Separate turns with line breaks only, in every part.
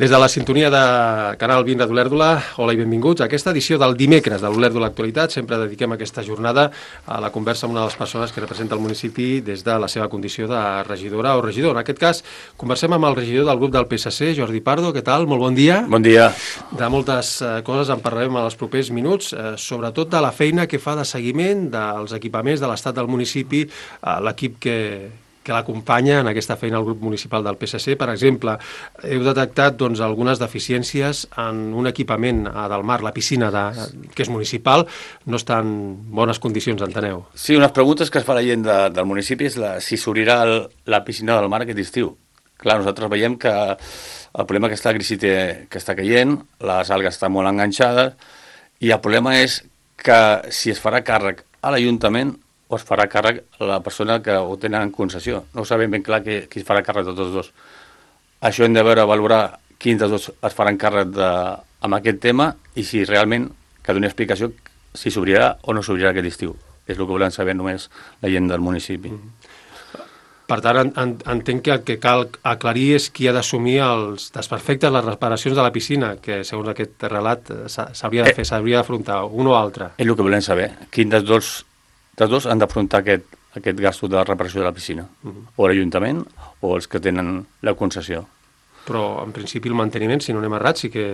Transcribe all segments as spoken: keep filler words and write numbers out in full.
Des de la sintonia de Canal vint de l'Olèrdola, hola i benvinguts a aquesta edició del dimecres de l'Olèrdola Actualitat. Sempre dediquem aquesta jornada a la conversa amb una de les persones que representa el municipi des de la seva condició de regidora o regidor. En aquest cas, conversem amb el regidor del grup del P S C, Jordi Pardo. Què tal? Molt bon dia.
Bon dia.
De moltes eh, coses en parlarem en els propers minuts, eh, sobretot de la feina que fa de seguiment dels equipaments de l'estat del municipi, eh, l'equip que... que l'acompanya en aquesta feina al grup municipal del P S C. Per exemple, heu detectat doncs, algunes deficiències en un equipament a Delmar, la piscina de, que és municipal, no està en bones condicions, enteneu?
Sí, unes preguntes que es fa la gent de, del municipi és la, si s'obrirà el, la piscina del Mar aquest estiu. Clar, nosaltres veiem que el problema que està la crisi té, que està caient, les algues estan molt enganxades, i el problema és que si es farà càrrec a l'Ajuntament o es farà càrrec a la persona que ho tenen en concessió. No ho sabem ben clar qui, qui es farà càrrec de tots dos. Això hem de veure, valorar quins dels dos es faran càrrec de, amb aquest tema i si realment que doni explicació si s'obrirà o no s'obrirà aquest estiu. És el que volem saber només la gent del municipi.
Mm. Per tant, en, en, entenc que el que cal aclarir és qui ha d'assumir els desperfectes, les reparacions de la piscina, que segons aquest relat s'hauria de fer, s'hauria d'afrontar un o altre.
És el que volem saber. Quin dels dos Els dos han d'afrontar aquest, aquest gasto de reparació de la piscina, uh-huh. o l'Ajuntament o els que tenen la concessió.
Però, en principi, el manteniment, si no anem errat, sí que,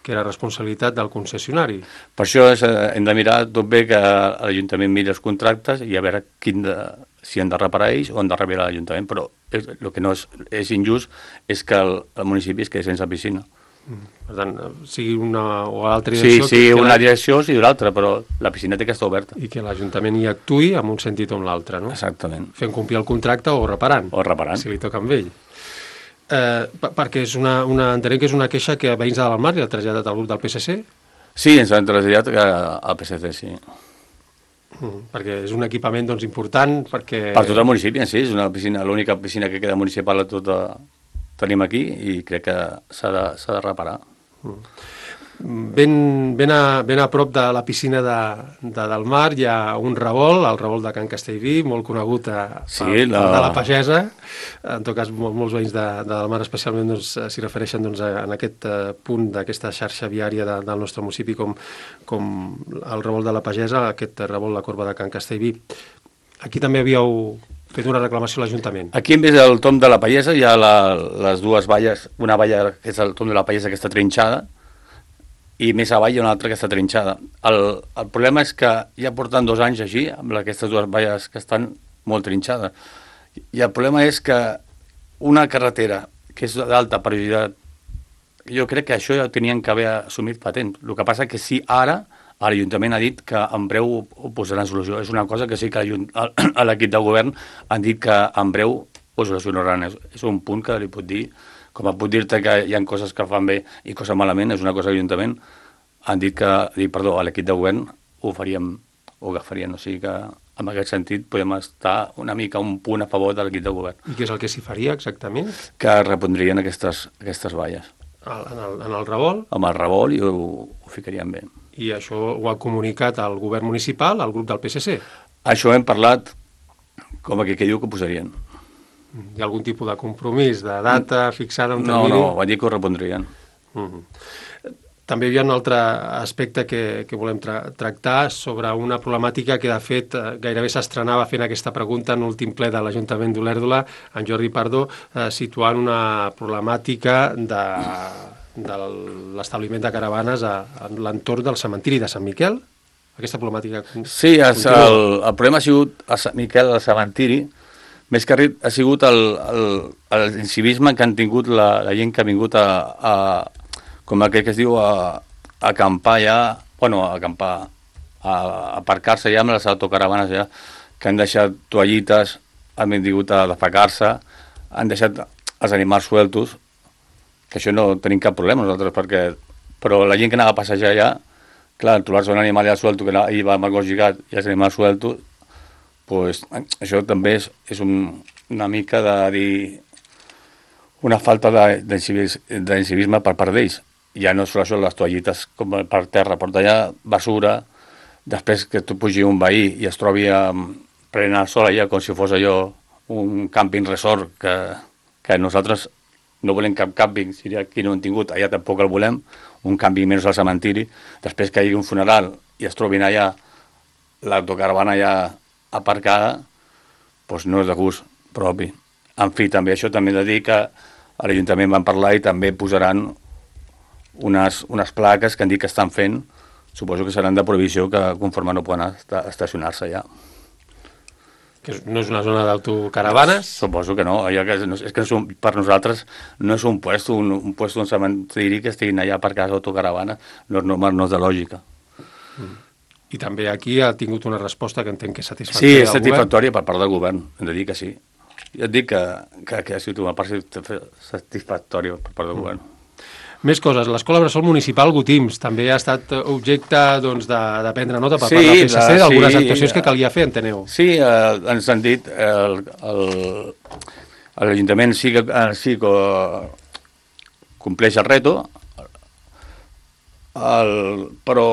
que era responsabilitat del concessionari.
Per això és, hem de mirar tot bé que l'Ajuntament miri els contractes i a veure quin de, si han de reparar ells o han de rebre l'Ajuntament, però és, el que no és, és injust és que el, el municipi es quedi sense piscina.
Per tant, sigui una o l'altra direcció...
Sí, sí, que, que una la... direcció sigui l'altra, però la piscina té que estar oberta.
I que l'Ajuntament hi actuï en un sentit o en l'altre, no?
Exactament.
Fent complir el contracte o reparant.
O reparant.
Si li toca amb ell. Eh, perquè és una, una, entenem que és una queixa que veïns de Delmar li ha traslladat al grup del P S C?
Sí, ens han traslladat al P S C, sí.
Mm, perquè és un equipament doncs, important, perquè...
Per tot el municipi, sí, és una piscina, l'única piscina que queda municipal a tota... tenim aquí i crec que s'ha de, s'ha de reparar.
Ben, ben, a, ben a prop de la piscina de, de Delmar hi ha un revolt, el revolt de Can Castellví, molt conegut a,
sí,
a,
la...
de la Pagesa. En tot cas, mol, molts veïns de, de Delmar especialment doncs, s'hi refereixen doncs, a, en aquest uh, punt d'aquesta xarxa viària de, del nostre municipi com, com el revolt de la Pagesa, aquest revolt, la corba de Can Castellví. Aquí també havíeu fet una reclamació a l'Ajuntament.
Aquí, en vez del tom de la Pallesa, hi ha la, les dues valles, una valla que és el tom de la Pallesa que està trinxada, i més avall hi ha una altra que està trinxada. El, el problema és que ja porten dos anys així, amb aquestes dues valles que estan molt trinxades. I el problema és que una carretera que és d'alta prioritat, jo crec que això ja ho tenien que haver assumit fa temps. El que passa és que sí, ara, l'Ajuntament ha dit que en breu ho posaran solució. És una cosa que sí que a l'equip de govern han dit que en breu ho solucionaran. És un punt que li pot dir, com pot dir-te que hi ha coses que fan bé i coses malament, és una cosa que l'Ajuntament han dit que, dit, perdó, a l'equip de govern ho faríem, ho agafarien. O sigui que en aquest sentit podem estar una mica un punt a favor de l'equip de govern.
I què és el que s'hi faria exactament?
Que repondrien aquestes, aquestes valles.
En el, en el revolt?
Amb el revolt i ho, ho ficarien bé.
I això ho ha comunicat al govern municipal, al grup del P S C?
Això hem parlat com que, que diu que ho posarien.
Hi ha algun tipus de compromís, de data fixada? Un
no, no, van dir que ho repondrien.
Mm-hmm. També hi ha un altre aspecte que, que volem tra tractar sobre una problemàtica que, de fet, gairebé s'estrenava fent aquesta pregunta en l'últim ple de l'Ajuntament d'Olèrdola, en Jordi Pardo, eh, situant una problemàtica de... de l'establiment de caravanes a, a l'entorn del cementiri de Sant Miquel. Aquesta problemàtica...
Sí, el, el, el problema ha sigut a Sant Miquel, al cementiri, més que res ha sigut el, el, el incivisme que han tingut la, la gent que ha vingut a, a com aquell que es diu, a, a acampar ja, bueno, a acampar, a, a aparcar-se ja amb les autocaravanes ja, que han deixat toallites, han vingut a defecar-se, han deixat els animals sueltos, que això no tenim cap problema nosaltres, perquè, però la gent que anava a passejar allà, clar, trobar-se un animal allà suelto, que hi va amb el gos lligat i els animals sueltos, pues, això també és, és un, una mica de dir una falta d'incivisme per part d'ells. Ja no és això les toallites com per terra, porta allà basura, després que tu pugi un veí i es trobi um, prenent el sol allà com si fos allò un camping resort que, que nosaltres no volem cap càmping, si aquí no hem tingut, allà tampoc el volem, un càmping menys al cementiri, després que hi hagi un funeral i es trobin allà l'autocaravana ja aparcada, doncs no és de gust propi. En fi, també això també he de dir que a l'Ajuntament van parlar i també posaran unes, unes plaques que han dit que estan fent, suposo que seran de prohibició, que conforme no poden estacionar-se allà.
Que no és una zona d'autocaravanes?
Suposo que no, allò que és, és que és un, per nosaltres no és un puesto, un, un puesto, un cementiri que estiguin allà aparcats autocaravanes, no és normal, no és de lògica.
Mm. I també aquí ha tingut una resposta que entenc que és satisfactòria.
Sí, és satisfactòria per part del govern, hem de dir que sí. Jo et dic que, que, que ha sigut una part satisfactòria per part del govern.
Més coses. L'Escola Bressol Municipal Gotims també ha estat objecte doncs, de, de prendre nota per
sí,
part del P S C d'algunes
sí,
actuacions que calia fer, enteneu?
Sí, eh, ens han dit el, el, l'Ajuntament sí que, sí que compleix el reto, el, però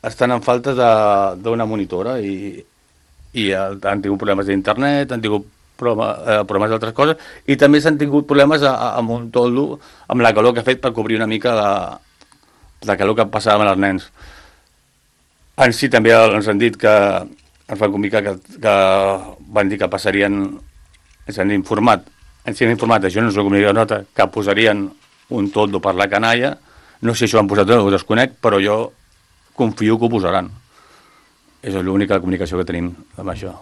estan en falta d'una monitora i, i han tingut problemes d'internet, han tingut problemes, eh, problemes d'altres coses, i també s'han tingut problemes a, a, amb un toldo, amb la calor que ha fet per cobrir una mica de, de calor que passava amb els nens. En si també ens han dit que ens van comunicar que, que van dir que passarien, ens han informat, ens han informat, això no ens ho comunicat nota, que posarien un toldo per la canalla, no sé si ho han posat o no, ho desconec, però jo confio que ho posaran. És l'única comunicació que tenim amb això.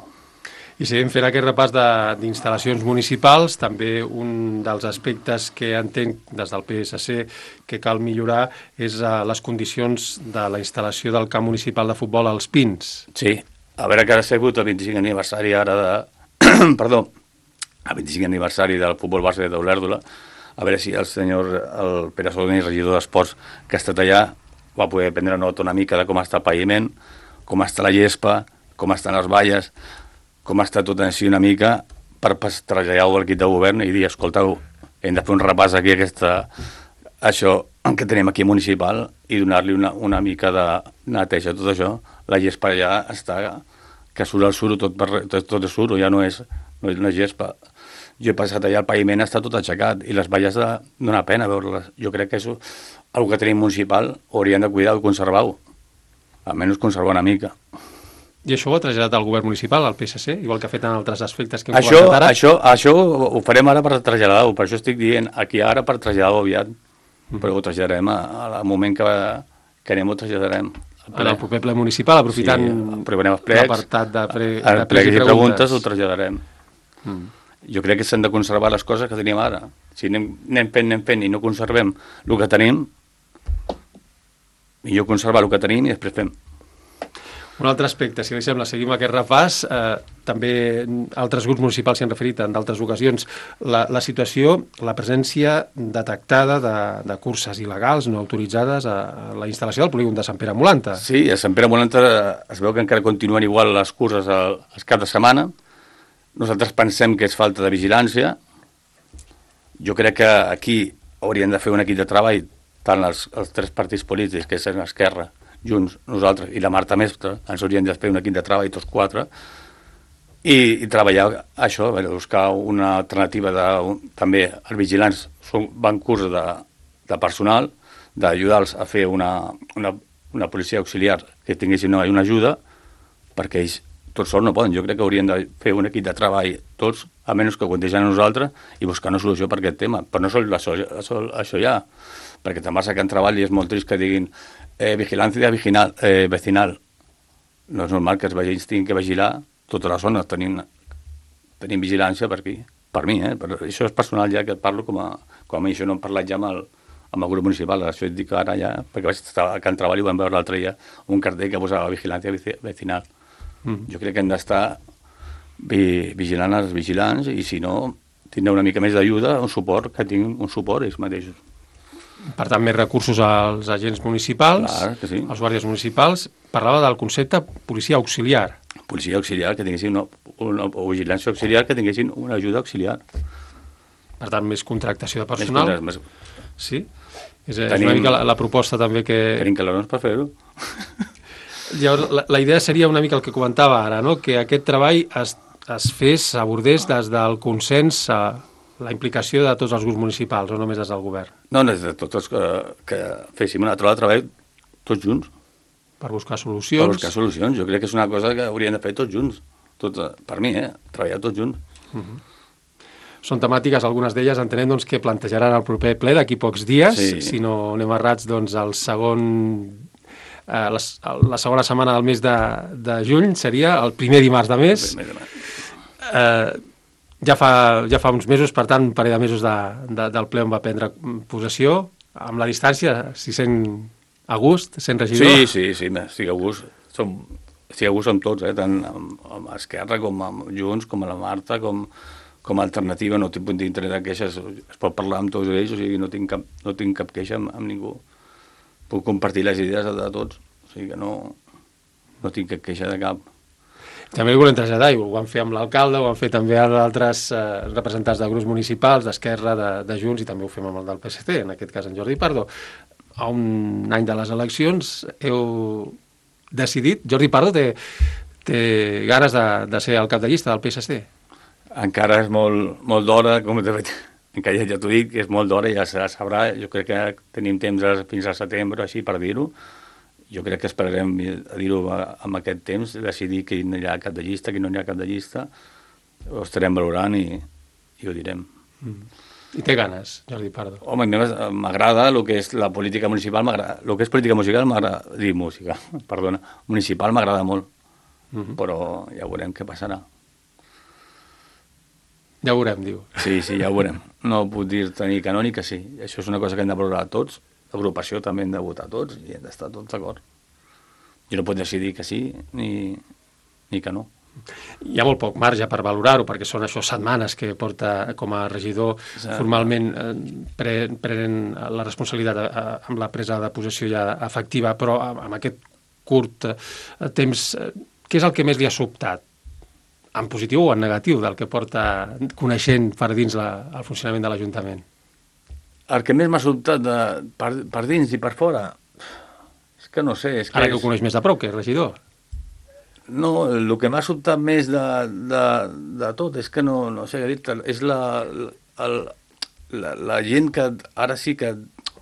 I seguim fent aquest repàs d'instal·lacions municipals. També un dels aspectes que entenc des del P S C que cal millorar és uh, les condicions de la instal·lació del camp municipal de futbol als Pins.
Sí, a veure que ha sigut el vint-i-cinc aniversari ara de... Perdó, el vint-i-cinc aniversari del futbol base d'Olèrdola, a veure si el senyor el Pere Soloni, regidor d'Esports, que ha estat allà, va poder prendre nota una mica de com està el paviment, com està la gespa, com estan les valles, com està tot així una mica per traslladar-ho al equip de govern i dir, escolteu, hem de fer un repàs aquí aquesta, això que tenim aquí municipal i donar-li una, una mica de neteja a tot això. La gespa ja està, que surt el suro, tot, per, tot, tot és suro, ja no és, no és una gespa. Jo he passat allà, el paviment està tot aixecat i les valles de, dona pena veure-les. Jo crec que això, el que tenim municipal, hauríem de cuidar i conservar-ho. Almenys conservar una mica.
I això ho ha traslladat al govern municipal, al P S C, igual que ha fet en altres aspectes que hem
això,
comentat ara?
Això, això ho farem ara per traslladar-ho, per això estic dient aquí ara per traslladar-ho aviat, mm. però ho traslladarem al moment que, que anem ho traslladarem.
En el proper ple municipal, aprofitant
sí,
l'apartat de, pre,
de
pregs i
preguntes. preguntes ho
preguntes
traslladarem.
Mm.
Jo crec que s'han de conservar les coses que tenim ara. Si anem, anem fent, anem fent i no conservem el que tenim, millor conservar el que tenim i després fem.
Un altre aspecte, si li sembla, seguim aquest repàs, eh, també altres grups municipals s'hi han referit en d'altres ocasions, la, la situació, la presència detectada de, de curses il·legals no autoritzades a, a la instal·lació del polígon de Sant Pere Molanta.
Sí, a Sant Pere Molanta es veu que encara continuen igual les curses al, al cap de setmana. Nosaltres pensem que és falta de vigilància. Jo crec que aquí haurien de fer un equip de treball, tant els, els tres partits polítics, que és l'Esquerra, Junts, nosaltres i la Marta Mestre, ens haurien de fer un equip de treball, tots quatre, i, i treballar això, buscar una alternativa de, un, també els vigilants són, van curs de, de personal, d'ajudar-los a fer una, una, una policia auxiliar que tinguessin una, una ajuda, perquè ells tots sols no poden. Jo crec que haurien de fer un equip de treball tots, a menys que contegen a nosaltres, i buscar una solució per aquest tema. Però no sol això, això, això ja, perquè també que en treball i és molt trist que diguin eh, vigilància vecinal, eh, vecinal. No és normal que els veïns tinguin que vigilar tota la zona, tenim, tenim vigilància per aquí, per mi, eh? Però això és personal ja, que parlo com a, com a mi, això no hem parlat ja amb el, amb el grup municipal, això et dic ara ja, perquè vaig estar a Can Treball i ho vam veure l'altre dia, un cartell que posava vigilància vecinal. Mm. Jo crec que hem d'estar vi, vigilant els vigilants i si no, tindre una mica més d'ajuda, un suport, que tinguin un suport ells mateixos.
Per tant, més recursos als agents municipals,
Clar, que sí.
als guàrdies municipals. Parlava del concepte policia auxiliar.
Policia auxiliar, que tinguessin una, una, o vigilància auxiliar, que tinguessin una ajuda auxiliar.
Per tant, més contractació de personal.
Més, més...
Sí? És, tenim, és una mica la, la proposta també que...
Tenim calarons per fer-ho.
Llavors, la, la idea seria una mica el que comentava ara, no? Que aquest treball es, es fes, s'abordés des del consens a, la implicació de tots els grups municipals, o només des del govern?
No, no, és de tots els que, que féssim una trobada de treball tots junts.
Per buscar solucions?
Per buscar solucions. Jo crec que és una cosa que hauríem de fer tots junts. Tot, per mi, eh? Treballar tots junts.
Uh -huh. Són temàtiques, algunes d'elles, entenem doncs, que plantejaran el proper ple d'aquí pocs dies.
Sí.
Si no anem errats, doncs, el segon... Eh, la, la segona setmana del mes de, de juny seria el primer dimarts de mes.
El primer dimarts.
Eh, ja, fa, ja fa uns mesos, per tant, un parell de mesos de, de, del ple on va prendre possessió. Amb la distància, si sent a gust, sent regidor.
Sí, sí, sí, estic a gust. Som, estic a gust amb tots, eh? Tant amb, amb Esquerra com amb Junts, com a la Marta, com, com a alternativa. No tinc punt d'interès de queixes. Es pot parlar amb tots ells, o sigui, no tinc cap, no tinc cap queixa amb, amb ningú. Puc compartir les idees de, de tots. O sigui que no, no tinc cap queixa de cap.
També ho volem traslladar, i ho van fer amb l'alcalde, ho van fer també amb altres eh, representants de grups municipals, d'Esquerra, de, de Junts, i també ho fem amb el del P S C, en aquest cas en Jordi Pardo. A un any de les eleccions heu decidit, Jordi Pardo té, té ganes de, de ser el cap de llista del P S C?
Encara és molt, molt d'hora, com de fet, encara ja t'ho dic, que és molt d'hora, ja se sabrà. Jo crec que tenim temps fins al setembre, així per dir-ho. Jo crec que esperarem a dir-ho amb aquest temps, decidir que no hi ha cap de llista, que no hi ha cap de llista. Ho estarem valorant i, i ho direm.
Mm. I té ganes, Jordi Pardo?
Home, m'agrada el que és la política municipal, m'agrada. El que és política musical m'agrada, dir música, perdona, municipal m'agrada molt, mm-hmm. però ja veurem què passarà.
Ja ho veurem, diu.
Sí, sí, ja ho veurem. No puc dir-te ni que no ni que sí. Això és una cosa que hem de valorar tots. L'agrupació també hem de votar tots i hem d'estar tots d'acord. Jo no puc decidir que sí ni, ni que no.
Hi ha molt poc marge per valorar-ho, perquè són això setmanes que porta com a regidor formalment eh, pre, prenen la responsabilitat eh, amb la presa de possessió ja efectiva, però amb aquest curt eh, temps, eh, què és el que més li ha sobtat? En positiu o en negatiu, del que porta coneixent per dins la, el funcionament de l'Ajuntament?
El que més m'ha sobtat de, per, per dins i per fora, és que no sé... És que
Ara
és...
que ho coneix més de prop, que és regidor.
No, el que m'ha sobtat més de, de, de tot és que no, no sé què dir-te, és la, la, la, la gent que ara sí que,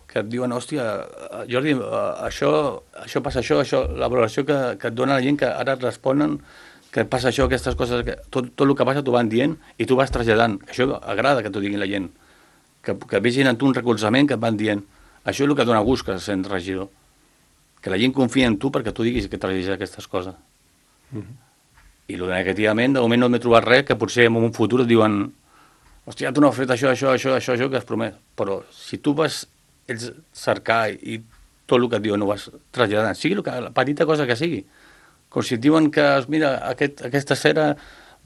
que et diuen, hòstia, Jordi, això, això passa això, això, la valoració que, que et dona la gent que ara et responen que passa això, aquestes coses, que, tot, tot el que passa t'ho van dient i tu vas traslladant. Això agrada que t'ho diguin la gent, que, que vegin en tu un recolzament que et van dient. Això és el que dona gust que sent regidor, que la gent confia en tu perquè tu diguis que traslladis aquestes coses. Mm-hmm. I el negativament, de moment no m'he trobat res, que potser en un futur et diuen, hòstia, tu no has fet això, això, això, això, això que has promès. Però si tu vas ells cercar i tot el que et diuen no vas traslladant, sigui el que, la petita cosa que sigui, com si et diuen que, mira, aquest, aquesta esfera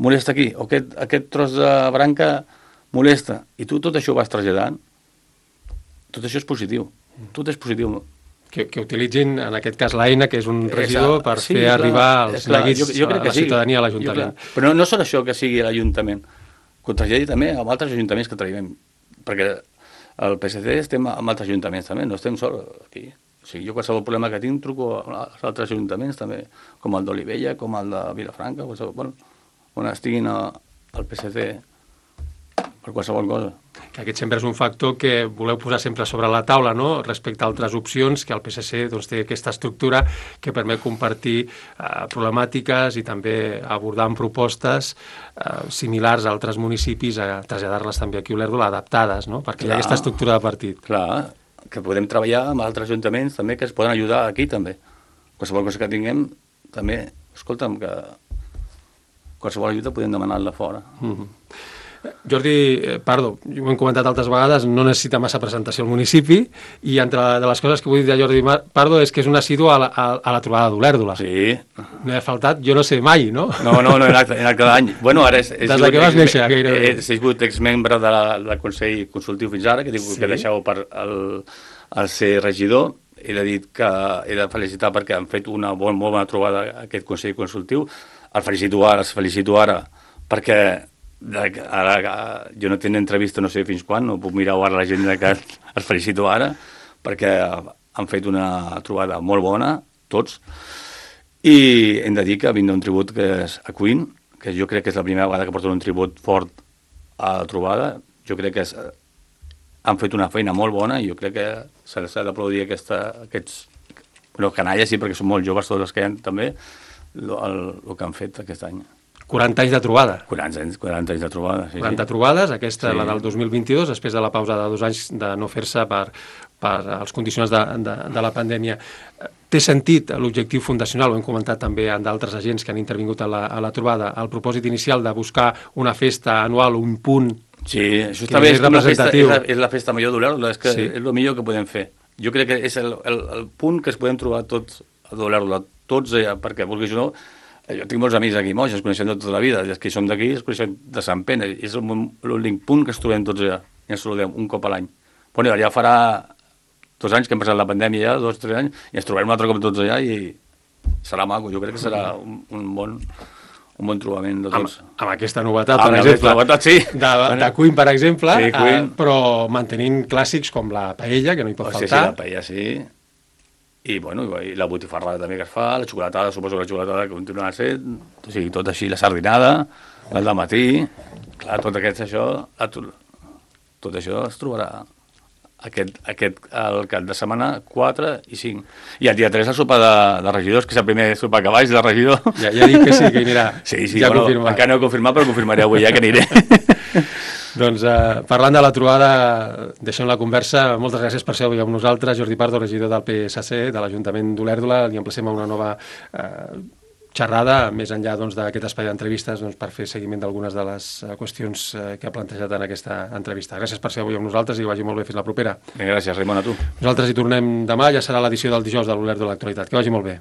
molesta aquí, o aquest, aquest tros de branca molesta, i tu tot això ho vas traslladant, tot això és positiu, tot és positiu.
Que, que utilitzin, en aquest cas, l'eina, que és un regidor, per
sí,
fer
clar,
arribar els neguits
jo, jo
a la
sí.
ciutadania a l'Ajuntament.
Però no, no són això que sigui l'Ajuntament, que ho traslladi també amb altres ajuntaments que treballem, perquè el P S C estem amb altres ajuntaments també, no estem sols aquí. O sigui, jo qualsevol problema que tinc truco als altres ajuntaments també, com el d'Olivella, com el de Vilafranca, qualsevol, bueno, on estiguin a, al P S C per qualsevol cosa.
Que aquest sempre és un factor que voleu posar sempre sobre la taula, no?, respecte a altres opcions, que el P S C doncs, té aquesta estructura que permet compartir eh, problemàtiques i també abordar amb propostes eh, similars a altres municipis, a traslladar-les també aquí a Olèrdola, adaptades, no?, perquè clar, hi ha aquesta estructura de partit.
Clar, que podem treballar amb altres ajuntaments també que es poden ajudar aquí també. Qualsevol cosa que tinguem també, escolta'm, que qualsevol ajuda podem demanar-la fora.
Mm-hmm. Jordi Pardo, ho hem comentat altres vegades, no necessita massa presentació al municipi, i entre de les coses que vull dir de Jordi Pardo és que és un assidu a la, a, a la trobada d'Olèrdola.
Sí.
No he faltat, jo no sé mai, no?
No, no, no, he anat, he anat cada any. Bueno, ara és, és
Des de que vas néixer, gairebé.
He sigut exmembre de la, del Consell Consultiu fins ara, que dic sí. que deixeu per el, el ser regidor. He de dir que he de felicitar perquè han fet una bon, molt bona trobada aquest Consell Consultiu. El felicito ara, els felicito ara, perquè ara jo no tinc entrevista no sé fins quan, no puc mirar ara l'agenda que els felicito ara, perquè han fet una trobada molt bona, tots, i hem de dir que vindrà un tribut que és a Queen, que jo crec que és la primera vegada que porten un tribut fort a la trobada. jo crec que és, han fet una feina molt bona i jo crec que s'ha d'aplaudir aquests... Bueno, canalles sí, perquè són molt joves tots els que hi ha també, el, el, el que han fet aquest any.
quaranta anys de trobada.
quaranta anys, quaranta anys de trobada, sí.
quaranta sí. trobades, aquesta,
sí.
la del dos mil vint-i-dos, després de la pausa de dos anys de no fer-se per, per els condicionants de, de, de la pandèmia. Té sentit l'objectiu fundacional, ho hem comentat també amb d'altres agents que han intervingut a la, a la trobada, el propòsit inicial de buscar una festa anual, un punt
sí, això està bé, és, una festa, és, la, és la festa major d'Olèrdola, és, que sí. és el millor que podem fer. Jo crec que és el, el, el punt que es podem trobar tots a d'Olèrdola, tots allà, perquè vulguis o no, jo tinc molts amics aquí moix, ens coneixem de tota la vida, els que som d'aquí es coneixem de Sant Pere, és l'únic punt que es trobem tots allà, i ens saludem un cop a l'any. Bueno, ja farà dos anys que hem passat la pandèmia ja, dos, tres anys, i ens trobarem un altre cop tots allà i serà maco, jo crec que serà un, un bon... un bon trobament de tots.
Amb, amb aquesta novetat,
amb
per exemple,
novetat, sí.
de, de Queen, per exemple,
sí, Queen.
Eh, però mantenint clàssics com la paella, que no hi pot
oh,
faltar.
Sí, sí, la paella, sí. I, bueno, i la botifarrada també que es fa, la xocolatada, suposo que la xocolatada que continua sent, o sigui, tot així, la sardinada, el dematí, clar, tot aquest, això, tot, tot això es trobarà aquest, aquest, el cap de setmana quatre i cinc. I el dia tres el sopar de, de regidors, que és el primer sopar que vaig de regidor.
Ja, ja dic que sí, que hi anirà.
Sí, sí,
ja
bueno,
confirmat.
Encara no he confirmat, però confirmaré avui ja que aniré.
Doncs eh, parlant de la trobada, deixem la conversa. Moltes gràcies per ser avui amb nosaltres. Jordi Pardo, regidor del P S C, de l'Ajuntament d'Olèrdola. Li emplacem a una nova eh, xerrada, més enllà doncs, d'aquest espai d'entrevistes, doncs, per fer seguiment d'algunes de les eh, qüestions eh, que ha plantejat en aquesta entrevista. Gràcies per ser avui amb nosaltres i que vagi molt bé. Fins la propera.
Gràcies, Raimon, a tu.
Nosaltres hi tornem demà, ja serà l'edició del dijous de l'Olèrdola de l'Actualitat. Que vagi molt bé.